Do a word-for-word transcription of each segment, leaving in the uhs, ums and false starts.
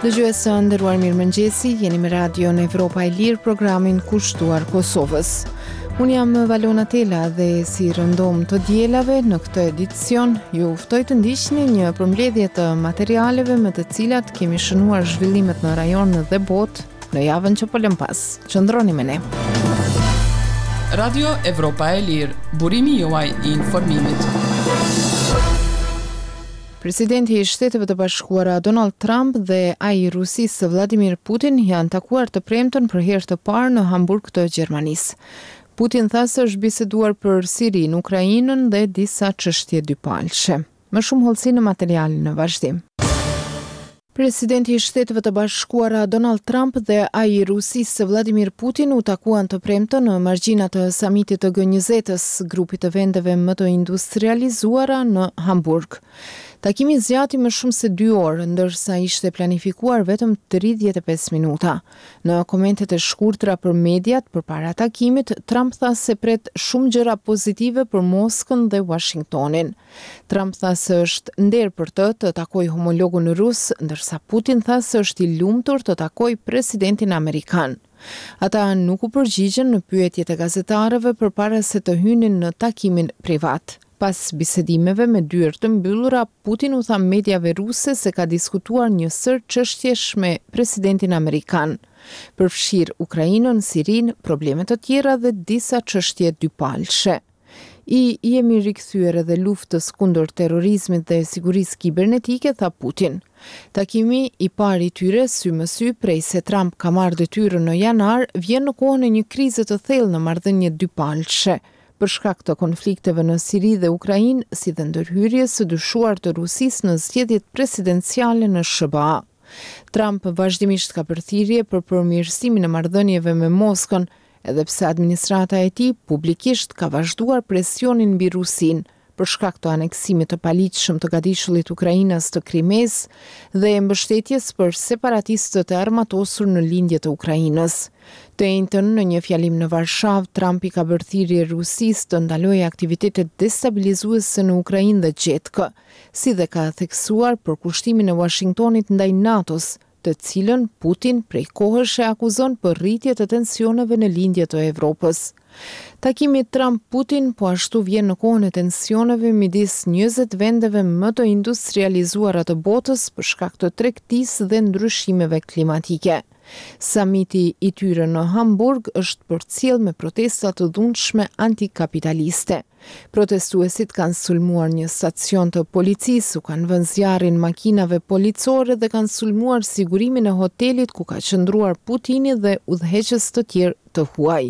Dëgjues të nderuar, mirëmëngjesi, jeni me Radion Evropa e Lirë, programin kushtuar Kosovës. Unë jam Valona Tela dhe, si rëndom të dielave, në këtë edicion ju ftoj të ndiqni një përmbledhje të materialeve me të cilat kemi shënuar zhvillimet në rajon dhe botë në javën që po lëm pas. Qëndroni me ne. Radio Evropa e Lirë, burimi juaj i informimit. Presidenti i Shteteve të Bashkuara Donald Trump dhe ai i Rusisë Vladimir Putin janë takuar të premten për herë të parë në Hamburg të Gjermanisë. Putin tha se është biseduar për Sirinë, Ukrainën dhe disa çështje dypalëshe. Më shumë hollësi në materialin në vazhdim. Presidenti i Shteteve të Bashkuara Donald Trump dhe ai i Rusisë Vladimir Putin u takuan të premten në margjina të samitit të G njëzet-s, grupit të vendeve më të industrializuara, në Hamburg. Takimi zgjati më shumë se dy orë, ndërsa ishte planifikuar vetëm tridhjetë e pesë minuta. Në komentet e shkurtra për mediat përpara takimit, Trump tha se pret shumë gjëra pozitive për Moskën dhe Washingtonin. Trump tha se është nder për të të takojë homologun rus, ndërsa Putin tha se është i lumtur të takojë presidentin amerikan. Ata nuk u përgjigjën në pyetjet e gazetarëve përpara se të hynin në takimin privat. Pas bisedimeve me dyer të mbyllura, Putin u tha mediave ruse se ka diskutuar një sërë çështjesh me presidentin amerikan, përfshirë Ukrainën, Sirinë, probleme të tjera dhe disa çështje dypalëshe. I jemi rikthyer edhe luftës kundër terrorizmit dhe sigurisë kibernetike, tha Putin. Takimi i parë i tyre sy më sy prej se Trump ka marrë detyrën në janar vjen në kohën e një krize të thellë në marrëdhëniet dypalëshe, për shkak të konflikteve në Siri dhe Ukrainë, si dhe ndërhyrjes së dyshuar të Rusisë në zgjedhjet presidenciale në S H B A. Trump vazhdimisht ka bërë thirrje për përmirësimin e marrëdhënieve me Moskën, edhe pse administrata e tij publikisht ka vazhduar presionin mbi Rusinë për shkak të aneksimit të paligjshëm të gadishullit ukrainas të Krimes dhe mbështetjes për separatistët e armatosur në lindje të Ukrainës. Të enjten, në një fjalim në Varshavë, Trump i ka bërë thirrje Rusisë të ndalojë aktivitetet destabilizuese në Ukrainë dhe gjetkë, si dhe ka theksuar përkushtimin e Washingtonit ndaj NATO-s, të cilën Putin prej kohësh e akuzon për rritje të tensioneve në lindje të Evropës. Takimi Trump-Putin po ashtu vjen në kohën e tensioneve midis njëzet vendeve më të industrializuara të botës për shkak të tregtisë dhe ndryshimeve klimatike. Samiti i tyre në Hamburg është përcjell me protesta të dhunshme antikapitaliste. Protestuesit kanë sulmuar një stacion të policisë, u kanë vënë zjarrin makinave policore dhe kanë sulmuar sigurimin e hotelit ku ka qëndruar Putini dhe udhëheqës të tjerë të huaj.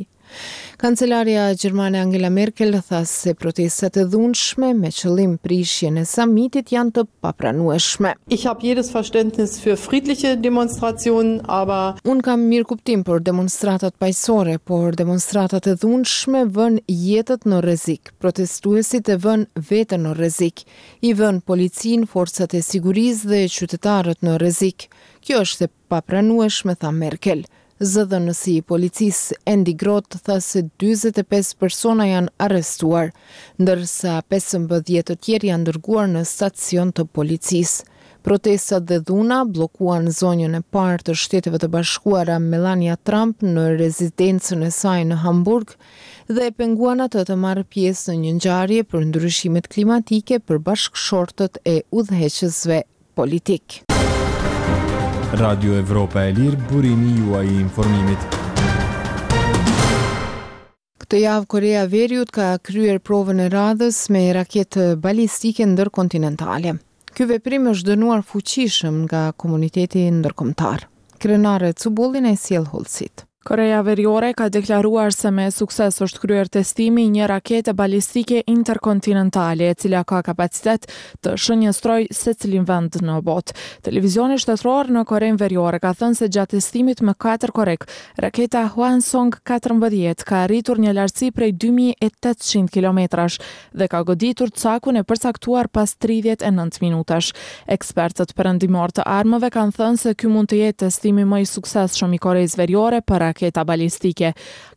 Kancelarja gjermane Angela Merkel tha se protestat e dhunshme me qëllim prishjen e samitit janë të papranueshme. Ich habe jedes Verständnis für friedliche Demonstrationen, aber Unë kam mirëkuptim për demonstratat paqësore, por demonstratat e dhunshme vënë jetët në rrezik. Protestuesit e vënë veten në rrezik, i vënë policinë, forcat e sigurisë dhe qytetarët në rrezik. Kjo është e papranueshme, tha Merkel. Zëdhënësi i policisë Andy Groth tha se dyzet e pesë persona janë arrestuar, ndërsa pesëmbëdhjetë të tjerë janë dërguar në stacion të policisë. Protestat dhe dhuna bllokuan zonjën e parë të Shteteve të Bashkuara Melania Trump në rezidencën e saj në Hamburg dhe e penguan atë të marrë pjesë në një ngjarje për ndryshimet klimatike për bashkëshortët e udhëheqësve politik. Radio Evropa e Lirë, burimi juaj i informimit. Këtë javë Korea e Veriut ka kryer provën e radhës me raketë balistike ndërkontinentale. Ky veprim është dënuar fuqishëm nga komuniteti ndërkombëtar. Krenare Cubollin e sjell hollësitë. Korea Veriore ka deklaruar se me sukses është kryer testimi i një rakete balistike interkontinentale, e cila ka kapacitet të shënjestrojë secilin vend në botë. Televizioni shtetëror në Korenë Veriore ka thënë se gjatë testimit më katër korrik, raketa Hwasong katërmbëdhjetë ka arritur një lartësi prej dy mijë e tetëqind kilometrash dhe ka goditur cakun e përcaktuar pas tridhjetë e nëntë minutash. Ekspertët perëndimor të armëve kanë thënë se ky mund të jetë testimi më i suksesshëm i Koresë Veriore për raketa balistike.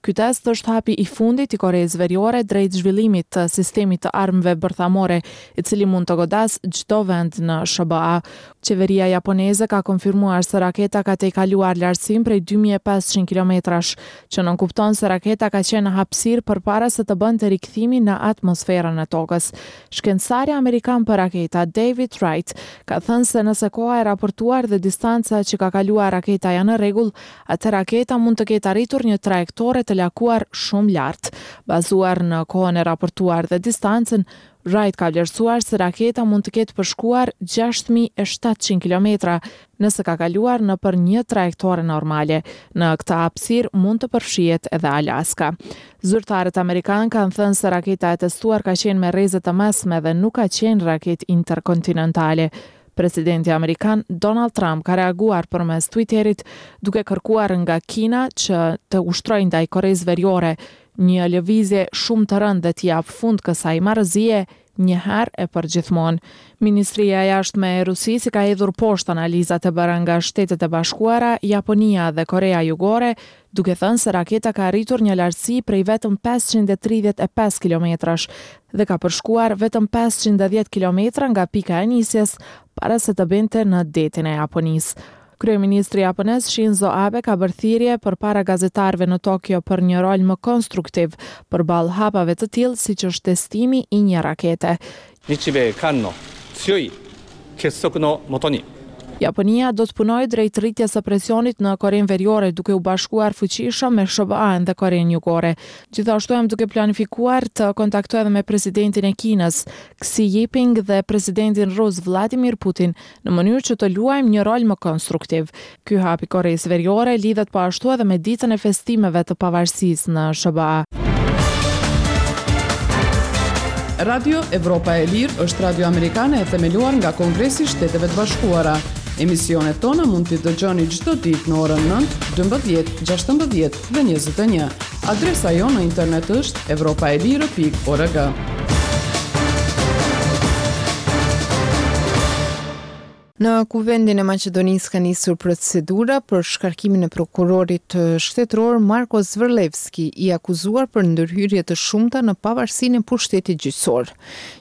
Ky test është hapi i fundit i Koresë Veriore drejt zhvillimit të sistemit të armëve bërthamore, i cili mund të godasë çdo vend në S H B A. Qeveria japoneze ka konfirmuar se raketa ka tejkaluar lartësinë prej dy mijë e pesëqind kilometrash, që nënkupton se raketa ka qenë në hapësirë përpara se të bënte rikthimin në atmosferën e tokës. Shkencëtari amerikan për raketa David Wright ka thënë se nëse koha e raportuar dhe distanca që ka kaluar raketa janë në rregull, atë raketa mund të ketë arritur një trajektore të lakuar shumë lart. Bazuar në kohën e raportuar dhe distancën, Wright ka vlerësuar se raketa mund të ketë përshkuar gjashtë mijë e shtatëqind kilometra nëse ka kaluar në për një trajektore normale. Në këtë hapësirë mund të përfshihet edhe Alaska. Zyrtarët amerikanë kanë thënë se raketa e testuar ka qenë me rreze të mesme dhe nuk ka qenë raketë interkontinentale. Presidenti amerikan Donald Trump ka reaguar përmes Twitterit, duke kërkuar nga Kina që të ushtrojë ndaj Koresë Veriore një lëvizje shumë të rëndë dhe t'i japë fund kësaj marrëzie një herë e përgjithmonë. Ministria e Jashtme e Rusisë ka hedhur poshtë analizat e bëra nga Shtetet e Bashkuara, Japonia dhe Korea Jugore, duke thënë se raketa ka arritur një lartësi prej vetëm pesëqind e tridhjetë e pesë kilometrash dhe ka përshkuar vetëm pesëqind e dhjetë kilometra nga pika e nisjes para se të binte në detin e Japonisë. Kryeministri japonez Shinzo Abe ka bërë thirrje përpara gazetarëve në Tokyo për një rol më konstruktiv përballë hapave të tillë siç është testimi i një rakete. 日米韓の強い結束のもとに Japonia do të punojë drejt rritjes së presionit në Korenë Veriore, duke u bashkuar fuqishëm me S H B A-n dhe Korenë Jugore. Gjithashtu jam duke planifikuar të kontaktoj edhe me presidentin e Kinës, Xi Jinping, dhe presidentin rus Vladimir Putin, në mënyrë që të luajmë një rol më konstruktiv. Ky hap i Koresë Veriore lidhet po ashtu edhe me ditën e festimeve të pavarësisë në S H B A. Radio Evropa e Lirë është radio amerikane e themeluar nga Kongresi i Shteteve të Bashkuara. Emisionet tona mund t'i dëgjoni çdo ditë në orën nëntë, dymbëdhjetë, gjashtëmbëdhjetë dhe njëzet e një. Adresa jonë në internet është evropaelire pikë org. Në Kuvendin e Maqedonisë ka nisur procedura për shkarkimin e prokurorit shtetëror Marko Zvërlevski, i akuzuar për ndërhyrje të shumta në pavarësinë e pushtetit gjyqësor.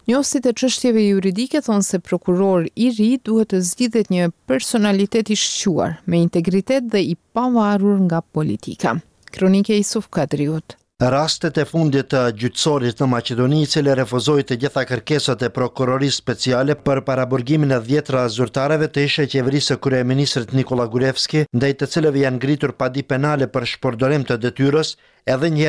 Njohësit e çështjeve juridike thonë se prokuror i ri duhet të zgjidhet një personalitet i shquar, me integritet dhe i pavarur nga politika. Kronike Isuf Kadriut. Rastet e fundit të gjyqësorit në Maqedoni, i cili refuzoi të gjitha kërkesat e prokurorisë speciale për paraburgimin e dhjetra zyrtarëve të ishe qeverisë së kryeministrit Nikola Gruevski, ndaj të cilëve janë ngritur padi penale për shpërdorim të detyrës, edhe një herë